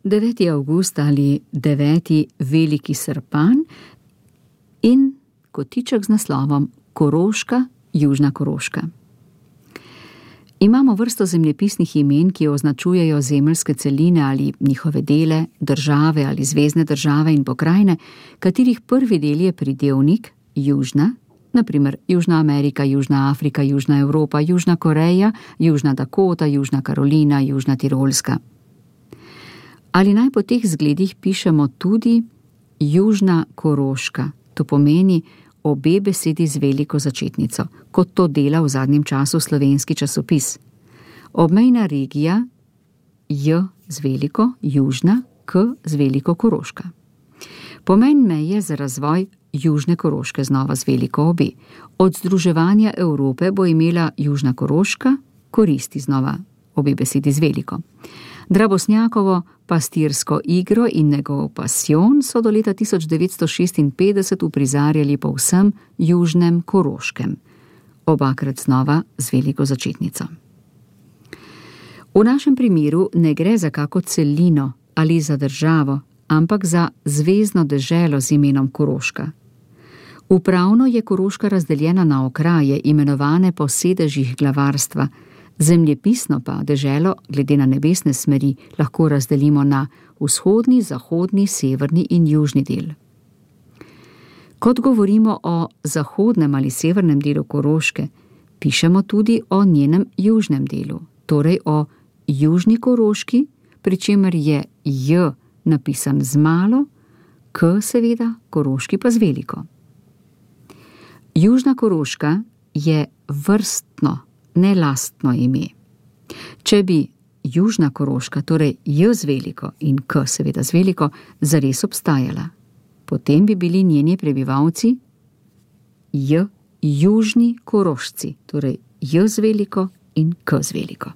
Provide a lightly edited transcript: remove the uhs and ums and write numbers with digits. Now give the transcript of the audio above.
9. avgust ali 9. veliki srpan in kotiček z naslovom Koroška, Južna Koroška. Imamo vrsto zemljepisnih imen, ki označujejo zemeljske celine ali njihove dele, države ali zvezne države in pokrajine, katerih prvi del je pridevnik južna, na primer Južna Amerika, Južna Afrika, Južna Evropa, Južna Koreja, Južna Dakota, Južna Karolina, Južna Tirolska. Ali naj po teh zgledih pišemo tudi Južna Koroška, to pomeni obe besedi z veliko začetnico, kot to dela v zadnjem času slovenski časopis. Obmejna regija J z veliko, Južna, K z veliko Koroška. Pomen meje za razvoj Južne Koroške znova z veliko obe. Od združevanja Evrope bo imela Južna Koroška koristi znova obe besedi z veliko. Drabosnjakovo pastirsko igro in njegov pasijon so do leta 1956 uprizarjali po vsem Južnem Koroškem, obakrat znova z veliko začetnico. V našem primeru ne gre za kako celino ali za državo, ampak za zvezno deželo z imenom Koroška. Upravno je Koroška razdeljena na okraje, imenovane po sedežih glavarstva, zemljepisno pa deželo, glede na nebesne smeri, lahko razdelimo na vzhodni, zahodni, severni in južni del. Kot govorimo o zahodnem ali severnem delu Koroške, pišemo tudi o njenem južnem delu, torej o Južni Koroški, pri čemer je J napisan z malo, K seveda, Koroški pa z veliko. Južna Koroška je vrstno, ne lastno ime. Če bi Južna Koroška, torej J z veliko in K seveda z veliko, zares obstajala, potem bi bili njeni prebivalci J Južni Korošci, torej J z veliko in K z veliko.